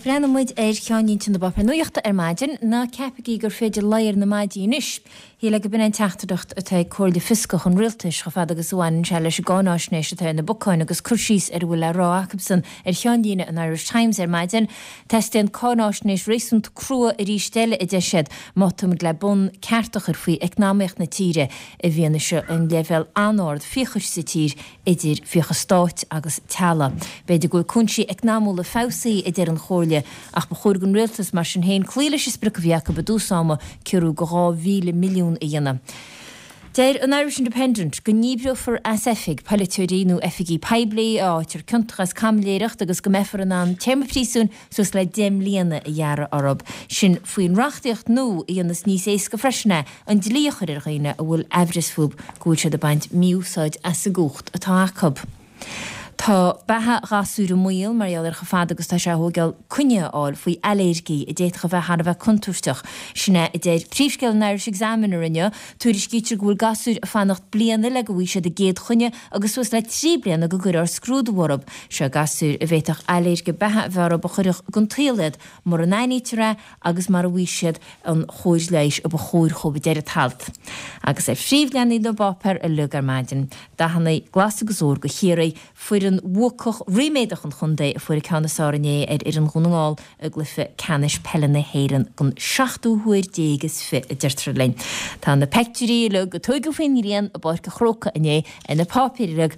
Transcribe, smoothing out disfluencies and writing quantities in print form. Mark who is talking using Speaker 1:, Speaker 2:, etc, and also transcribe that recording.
Speaker 1: breathnóidh muid ar cheannlínte na bpáipéar nuachta ar maidin. Ná ceapaigí gur féidir luí ar na maidí anois. Shílfeá go b'in é an teachtaireacht atá ag Comhairle Fioscach an Rialtais chomh fada agus a bhaineann sé leis an gcáináisnéis atá ar na bacáin agus cur síos ar a bhfuil le rá acubsan ar cheannlíne an Irish Times ar maidin. Teastaíonn cáináisnéis réasúnta crua arís eile, a deir siad, má táimid le bonn ceart a chur faoi eacnamaíocht na tíre i bhfianaise an leibhéal an-ard fiachais sa tír idir fiachas stáit agus teaghlaigh. B'fhéidir go bhfuil cúinsí eacnamúla feabhsaithe, a deir an Chomhairle, ach ba chóir don rialtas, mar sin féin, cloí leis an sprioc a bhí acu i dtús ama, ciorrú de 2,000 milliún a dhéanamh. Deir an Irish Independent go ndíbreofar as oifig polaiteoirí nó oifigigh poiblí a fhaightear ciontach as caimiléireacht agus go mbeifear in ann téarma príosúin suas le 10 mbliana a ghearradh orthu. Sin faoin reachtaíocht nua a dhéanfas níos éasca freisin é an dlí a chur ar dhaoine a bhfuil aimhreas fúthu go bhfuil siad ag baint mí-úsáid as an gcumhacht atá acu. Tá beatha ghasúir i mbaol mar gheall ar chomh fada agus tá sé a thógáil coinne a fháil faoi ailléirgí a d'fhéadfadh a bheith thar a bheith contúirteach. Sin é a deir príomhscéal an Irish Examiner inniu. Tuairiscítear go bhfuil gasúir ag fanacht bliana le go bhfaighidh siad a gcéad choinne agus suas le 3 bliana go gcuirfear scrúdú orthu. Seo gasúir a bhféadfadh ailléirge beatha a bheith orthu a chuirfeadh den tsaol iad mura n-aithnítear é agus mura bhfaighidh siad an chóir leighis a ba chóir dhóibh, a deir an t-alt. Agus ar phríomhleathanaigh na bpáipéar uilig ar maidin, dathanna glas agus ór do Chiarraí, foireann bhuacach ríméadach an chontae a fuair an ceann is fearr inné ar fhoireann Dhún na nGall i gcluiche ceannais peile na hÉireann don seachtú huair déag is fi, a deirtear linn. Tá na peictiúirí uilig a tóigeadh faoin ngrian i bPáirc an Chrócaigh inné ar na páipéir uilig.